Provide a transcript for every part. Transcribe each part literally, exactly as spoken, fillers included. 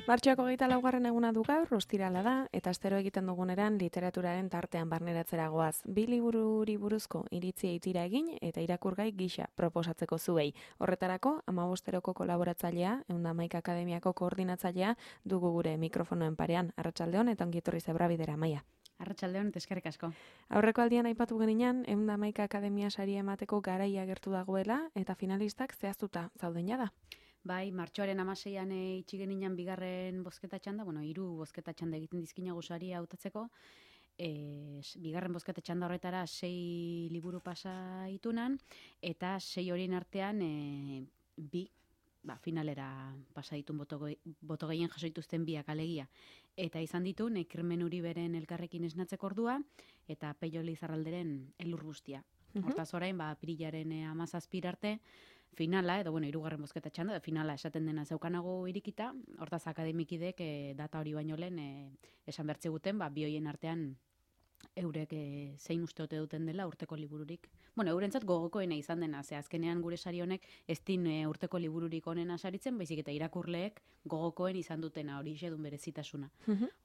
Martxoak hogeita laugarren eguna du gaur, ostirala da, eta astero egiten duguneran literaturaren tartean barneratzera goaz. Bi libururi buruzko iritzia itira egin eta irakurgai gisa proposatzeko zuei. Horretarako, hamabosteroko kolaboratzailea, ehun eta hamaika akademiako koordinatzailea dugu gure mikrofonoen parean. Arratsaldeon eta ongi etorri Zebrabidera, Amaia. Arratsaldeon eta eskerrik asko. Aurreko aldian aipatu geninan, ehun eta hamaika akademia saria emateko garaia agertu dagoela eta finalistak zehaztuta zauden jada. Bai, martxoaren hamaseian itxi geninan bigarren bozketa txanda, bueno, hiru bozketa txanda egiten dizkinagu saria hautatzeko. E, bigarren bozketa txanda horretara sei liburu pasa itunan, eta sei horien artean e, bi, ba, finalera pasa ditun boto, boto gehien jaso dituzten biak alegia. Eta izan ditu, Nekirmen Uriberen elkarrekin esnatzeko ordua, eta Peio Lizarralderen elur guztia. Hortaz orain, ba, pirilaren hamazazpira arte, finala, edo bueno, hirugarren bozketa txanda, da finala esaten dena zeukanago irikita, hortaz akademikidek e, data hori baino lehen e, esan bertze guten, ba, bi hoien artean eurek e, zein uste ote duten dela urteko libururik. Bueno, eurentzat gogokoena izan dena, ze azkenean gure sari honek ez din e, urteko libururik onena saritzen, baizik eta irakurleek gogokoen izan dutena hori xedun berezitasuna.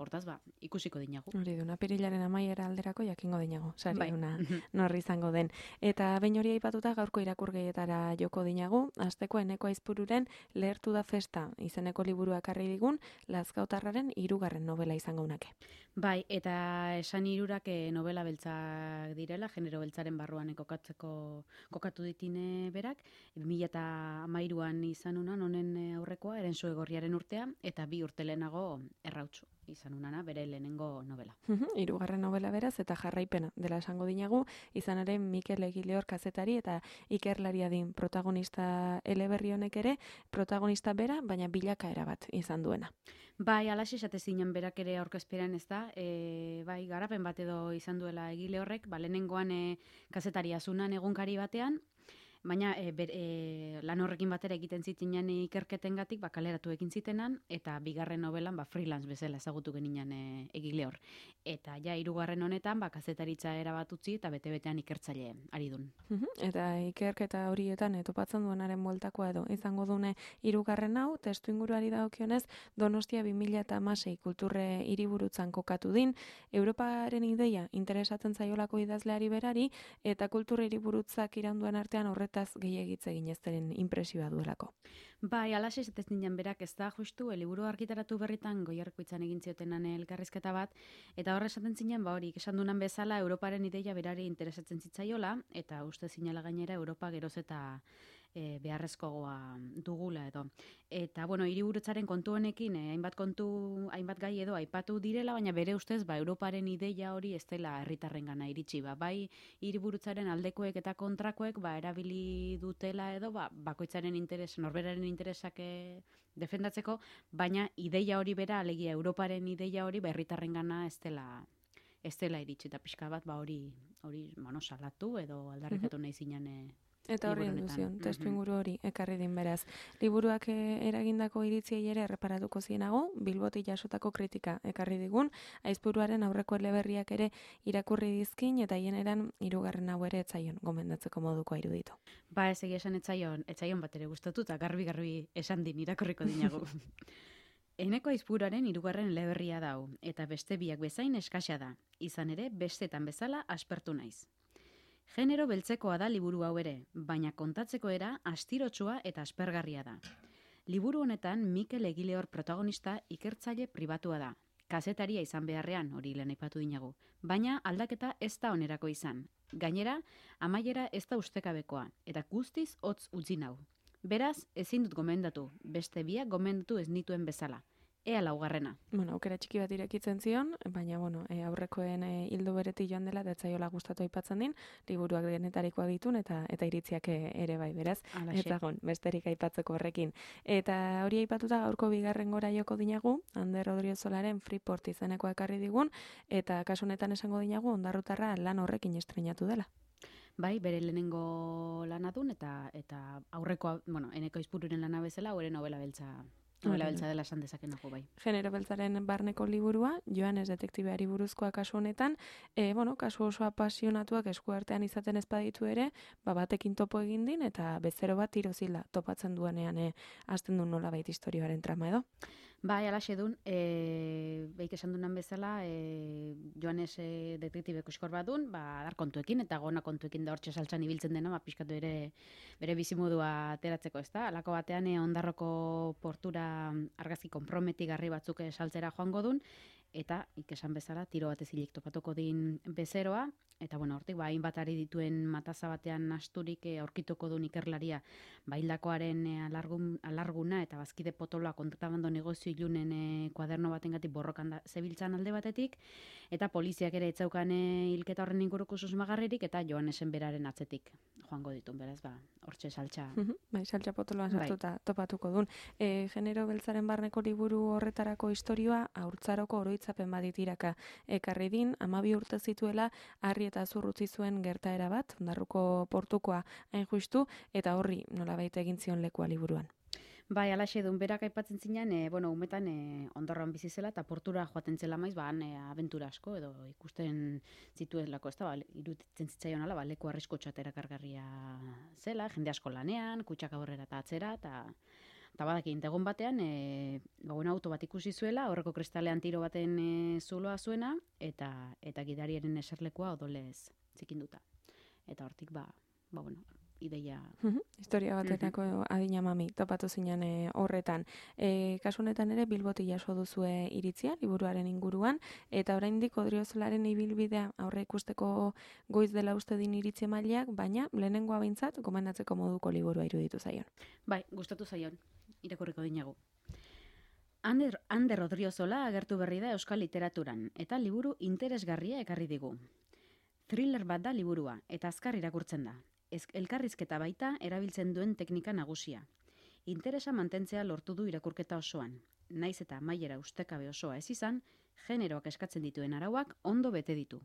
Hortaz, ba, ikusiko dinagu. Hori duna, pirilaren amaiera alderako jakingo dinagu, sari Bai. duna norri izango den. Eta behin hori aipatuta gaurko irakurgeietara joko dinagu, asteko Eneko Aizpururen Lehertu da festa izeneko liburua ekarri digun, Lazkautarraren hirugarren novela izango unake. Bai, eta esan hirurak e, novela beltzak direla, genero beltzaren barruan kokatzeko kokatu ditine berak, bi mila hamairuan izan unan honen aurrekoa, Erensu Egorriaren urtea, eta bi urte lehenago Errautsu izan unana, bere lehenengo novela. Hirugarren novela beraz, eta jarraipena dela esango dinagu, izan ere Mikel Egileor kazetari eta ikerlaria din protagonista eleberri honek ere, protagonista bera, baina bilakaera bat izan duena. Bai, alaxe esate zinen berak ere aurkezperan ez da, e, bai, garapen bat edo izan duela egile horrek, ba, lehenengoan e, kazetaria zunan egunkari batean, baina e, ber, e, lan horrekin batera egiten zitinan ikerketengatik ba, kaleratu egin zitenan, eta bigarren novelan ba, freelance bezala ezagutu geninan e, egile hor. Eta ja, hirugarren honetan, ba, kazetaritza erabat utzi eta bete-betean ikertzaile ari dun. Eta ikerketa horietan e, topatzen duenaren bueltakoa edo izango dune hirugarren hau, testu inguruari dagokionez, Donostia bi mila hamasei kulturre hiriburutzan kokatu din, Europaren ideia interesatzen zaiolako idazleari berari, eta kulturre hiriburutzak iraunduen artean horret gehiagitze ginezteren impresioa duelako. Bai, alaxe ez ninen berak ez da justu, liburu argitaratu berritan Goierrikoitzan egin ziotenan elkarrizketa bat, eta horre esaten zinen, ba hori, esan dunan bezala, Europaren ideia berari interesatzen zitzaiola, eta uste zinela gainera Europa geroz eta e, beharrezkoa dugula edo. Eta, bueno, hiriburutzaren kontu honekin, eh, hainbat kontu, hainbat gai edo aipatu direla, baina bere ustez, ba, Europaren ideia hori ez dela herritarrengana iritsi, ba, bai hiriburutzaren aldekoek eta kontrakoek, ba, erabili dutela edo, ba, bakoitzaren interes, norberaren interesak e, defendatzeko, baina ideia hori bera, alegia Europaren ideia hori, ba, herritarrengana ez dela ez dela iritsi, eta pixka bat, ba, hori, hori, bueno, salatu edo aldarrikatu nahi zinen e, Eta horri induzion, testu inguru hori ekarri din beraz. Liburuak eragindako iritziei ere erreparatuko zienago, Bilbotik jasotako kritika ekarri digun, Aizpuruaren aurreko eleberriak ere irakurri dizkin, eta hien eran hirugarren hau ere etzaion gomendatzeko moduko iruditu. Ba, ez egia esan etzaion, etzaion bat ere gustatu, eta garbi-garbi esan din irakurriko dinagu. Eneko Aizpuruaren hirugarren eleberria dau, eta beste biak bezain eskasa da, izan ere bestetan bezala aspertu naiz. Genero beltzekoa da liburu hau ere, baina kontatzeko era astirotsua eta aspergarria da. Liburu honetan Mikel Egileor protagonista ikertzaile pribatua da. Kazetaria izan beharrean, hori lehen aipatu dinagu, baina aldaketa ez da onerako izan. Gainera, amaiera ez da ustekabekoa, eta guztiz hotz utzi nau. Beraz, ezin dut gomendatu, beste biak gomendatu ez nituen bezala. Ea laugarrena. Bueno, aukera txiki bat irekitzen zion, baina bueno, e, aurrekoen e, hildo beretik joan dela, detzaiola gustatu aipatzen din, liburuak denetarikoak ditun, eta eta iritziak ere bai, beraz. Alaxe. Eta gon, besterik aipatzeko horrekin. Eta hori aipatuta gaurko bigarren gora joko dinagu, Ander Odriozolaren Freeport izeneko ekarri digun, eta kasu honetan esango dinagu, Ondarrutarra lan horrekin estrenatu dela. Bai, bere lehenengo lana dun, eta eta aurrekoa, bueno, Eneko Aizpururen lana bezala, hori novela beltza Novela beltza dela esan dezakenago bai. Genero beltzaren barneko liburua, Joanes detektibeari buruzkoa kasu honetan, e, bueno, kasu oso apasionatuak eskuartean izaten ez baditu ere, ba batekin topo egin din, eta bezero bat tirozila topatzen duenean e, hasten du nolabait istorioaren trama edo. Bai, alaxe dun, e, beik esan dunan bezala, e, Joanes e, detektibe koskor bat dun, ba, dar kontuekin, eta gona kontuekin da hortxe saltzan ibiltzen dena, ba, pixkatu ere bere bizimodua ateratzeko, ez da? Alako batean, e, Ondarroko portura argazki konprometigarri batzuk saltzera joango dun, eta ikesan bezala, tiro batez hilik topatuko din bezeroa, eta bueno, hortik, ba, hainbat ari dituen mataza batean asturik e, aurkituko duen ikerlaria, ba, hildakoaren e, alargun, alarguna eta bazkide potoloa kontrabando negozio ilunen e, kuaderno batengatik borrokan da, zebiltzan alde batetik, eta poliziak ere etzaukan e, hilketa horren inguruko susmagarririk, eta Joanesen beraren atzetik joango ditun, beraz, ba, hortxe saltxa. Bai, saltxa potoloan sartuta bai. Topatuko dun. E, genero beltzaren barneko liburu horretarako istorioa, haurtzaroko oroitzapen baditiraka ekarri din, amabi urte zituela, harri eta zurrutzi zuen gertaera bat, Ondarruko portukoa hain justu, eta horri nolabait egin zion lekua liburuan. Bai, alaxe dun, berak aipatzen zinean, e, bueno, umetan e, Ondarroan bizi zela, eta portura joaten zela maiz, ba, han e, abentura asko, edo ikusten zituelako, ez da, ba, iruditzen zitzaion ala, ba, leku arriskotxo eta erakargarria zela, jende asko lanean, kutsak aurrera eta atzera, eta eta badaki, egun batean, e, ba, bueno, auto bat ikusi zuela, horreko kristalean tiro baten e, zuloa zuena, eta eta gidariaren eserlekoa odolez zikinduta. Eta hortik, ba, ba, bueno, ideia. Uh-huh. Historia batetako uh-huh. adina mami, topatu zinen e, horretan. E, kasu honetan ere Bilboti jaso duzue iritzia, liburuaren inguruan, eta oraindik Odriozolaren ibilbidea aurre ikusteko goiz dela uste din iritzi mailak, baina lehenengoa behintzat gomendatzeko moduko liburua iruditu zaion. Bai, gustatu zaion, irakurriko dinagu. Ander, Ander Odriozola agertu berri da euskal literaturan, eta liburu interesgarria ekarri digu. Thriller bat da liburua, eta azkar irakurtzen da. Elkarrizketa baita erabiltzen duen teknika nagusia. Interesa mantentzea lortu du irakurketa osoan. Naiz eta amaiera ustekabe osoa ez izan, generoak eskatzen dituen arauak ondo bete ditu.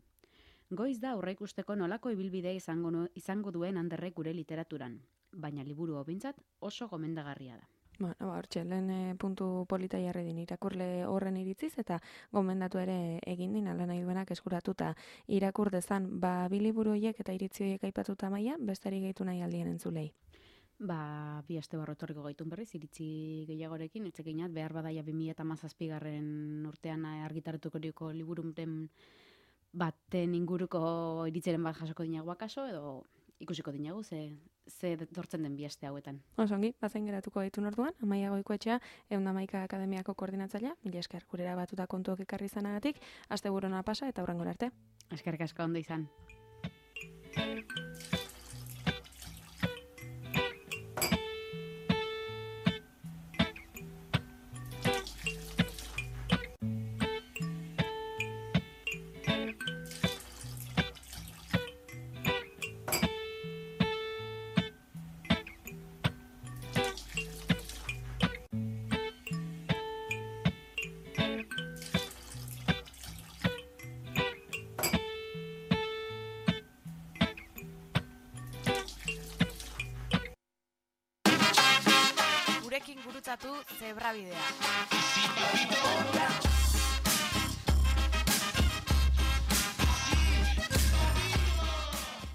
Goiz da aurreikusteko nolako ibilbidea izango, no, izango duen Anderrek gure literaturan, baina liburu hobintzat oso gomendagarria da. Bueno, hortxe, lehen e, puntu polita jarri din irakurle horren iritziz, eta gomendatu ere egin din, ala nahi duenak eskuratuta irakur dezan, ba, biliburu horiek eta iritzi horiek aipatuta maia, bestari gehitu nahi aldien entzulei. Ba, bi aste barrotorriko gaitun berriz, iritzi gehiagorekin, etxekinat, behar badaia bi mila hamazazpigarren urtean argitaratuko libururen baten inguruko iritziren bat jasoko dinagoa kaso, edo ikusiko dinagu, ze, ze dortzen den bi aste hauetan. Osongi, bazen geratuko gaitun orduan, Amaia Goikoetxea, ehun eta hamaika akademiako koordinatzailea, mila esker gurera batuta kontuok ekarri izanagatik, asteburona pasa eta hurrengora arte. Eskerrik asko ondo izan. Gurekin gurutzatu Zebrabidea.